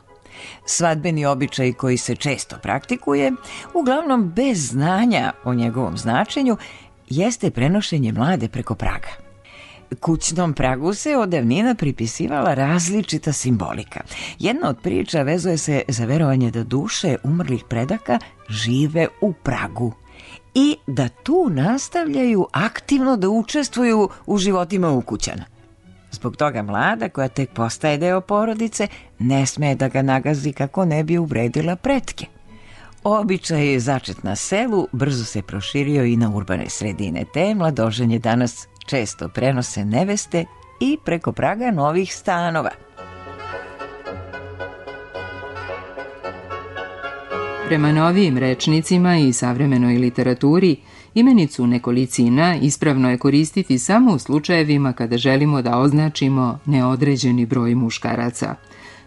Svadbeni običaj koji se često praktikuje, uglavnom bez znanja o njegovom značenju, jeste prenošenje mlade preko praga. Kućnom pragu se od davnina pripisivala različita simbolika. Jedna od priča vezuje se za verovanje da duše umrlih predaka žive u pragu i da tu nastavljaju aktivno da učestvuju u životima ukućana. Zbog toga mlada, koja tek postaje deo porodice, ne sme da ga nagazi kako ne bi uvredila pretke. Običaj začet na selu brzo se proširio i na urbane sredine, te mladoženje danas često prenose neveste i preko praga novih stanova. Prema novijim rečnicima i savremenoj literaturi, imenicu nekolicina ispravno je koristiti samo u slučajevima kada želimo da označimo neodređeni broj muškaraca.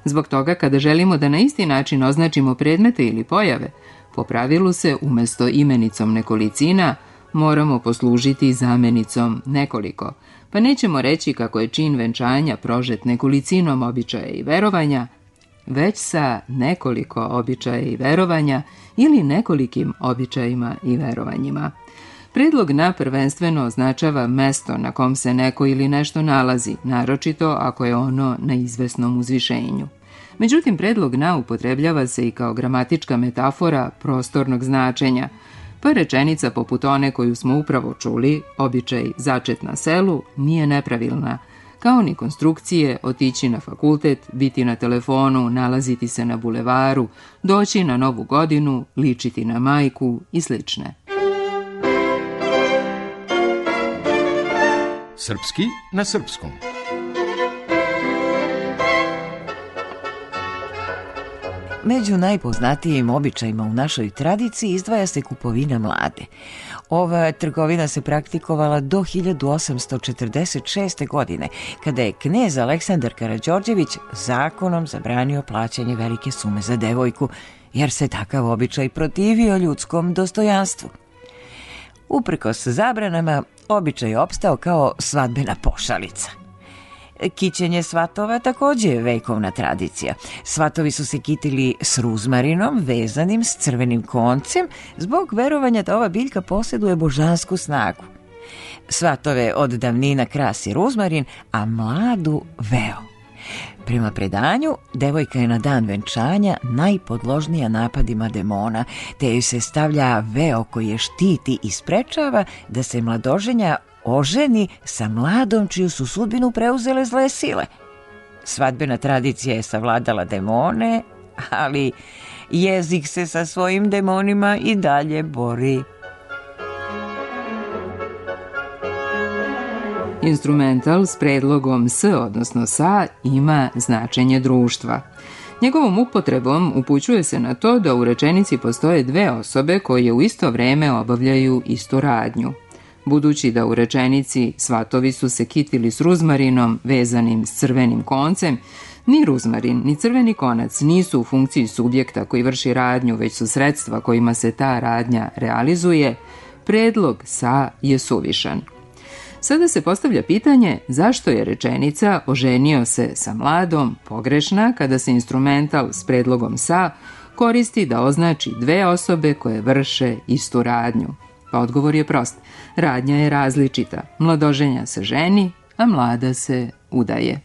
Zbog toga, kada želimo da na isti način označimo predmete ili pojave, po pravilu se umjesto imenicom nekolicina moramo poslužiti zamenicom nekoliko, pa nećemo reći kako je čin venčanja prožet nekolicinom običaja i verovanja, već sa nekoliko običaja i verovanja ili nekolikim običajima i verovanjima. Predlog na prvenstveno označava mesto na kom se neko ili nešto nalazi, naročito ako je ono na izvesnom uzvišenju. Međutim, predlog na upotrebljava se i kao gramatička metafora prostornog značenja, pa rečenica poput one koju smo upravo čuli, običaj začet na selu, nije nepravilna, kao ni konstrukcije otići na fakultet, biti na telefonu, nalaziti se na bulevaru, doći na Novu godinu, ličiti na majku i slične. Srpski na srpskom. Među najpoznatijim običajima u našoj tradiciji izdvaja se kupovina mlade. Ova trgovina se praktikovala do 1846. godine, kada je knez Aleksandar Karađorđević zakonom zabranio plaćanje velike sume za devojku, jer se takav običaj protivio ljudskom dostojanstvu. Uprkos zabranama, običaj je opstao kao svadbena pošalica. Kićenje svatova također je vekovna tradicija. Svatovi su se kitili s ruzmarinom vezanim s crvenim koncem zbog verovanja da ova biljka posjeduje božansku snagu. Svatove od davnina krasi ruzmarin, a mladu veo. Prema predanju, devojka je na dan venčanja najpodložnija napadima demona, te joj se stavlja veo koji je štiti i sprečava da se mladoženja oženi sa mladom čiju su sudbinu preuzele zle sile. Svadbena tradicija je savladala demone, ali jezik se sa svojim demonima i dalje bori. Instrumental s predlogom s, odnosno sa, ima značenje društva. Njegovom upotrebom upućuje se na to da u rečenici postoje dve osobe koje u isto vreme obavljaju istu radnju. Budući da u rečenici svatovi su se kitili s ruzmarinom vezanim s crvenim koncem, ni ruzmarin ni crveni konac nisu u funkciji subjekta koji vrši radnju, već su sredstva kojima se ta radnja realizuje, predlog sa je suvišan. Sada se postavlja pitanje zašto je rečenica oženio se sa mladom pogrešna kada se instrumental s predlogom sa koristi da označi dve osobe koje vrše istu radnju. Pa odgovor je prost. Radnja je različita. Mladoženja se ženi, a mlada se udaje.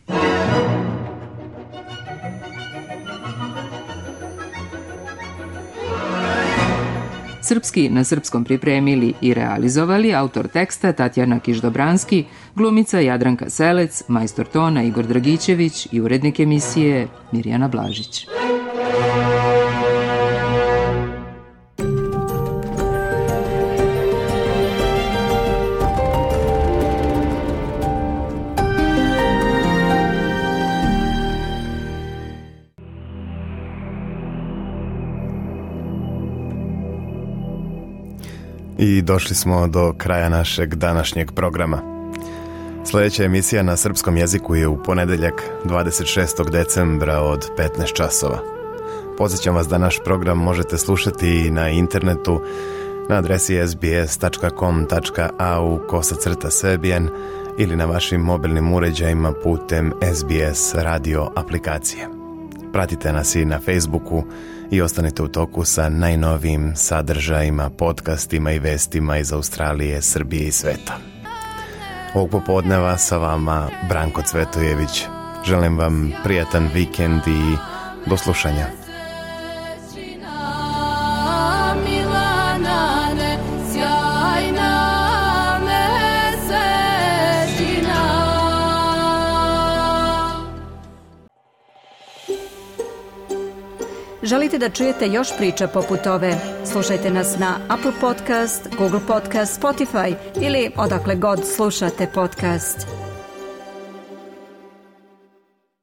Srpski na srpskom pripremili i realizovali autor teksta Tatjana Kiš-Dobranski, glumica Jadranka Selec, majstor tona Igor Dragićević i urednik emisije Mirjana Blažić. I došli smo do kraja našeg današnjeg programa. Sljedeća emisija na srpskom jeziku je u ponedeljak 26. decembra od 15 časova. Podsjećam vas da naš program možete slušati i na internetu na adresi sbs.com.au/serbian ili na vašim mobilnim uređajima putem SBS radio aplikacije. Pratite nas i na Facebooku i ostanite u toku sa najnovijim sadržajima, podcastima i vestima iz Australije, Srbije i sveta. Ovog popodneva sa vama Branko Cvetojević. Želim vam prijatan vikend i do slušanja. Želite da čujete još priča poput ove? Slušajte nas na Apple Podcast, Google Podcast, Spotify ili odakle god slušate podcast.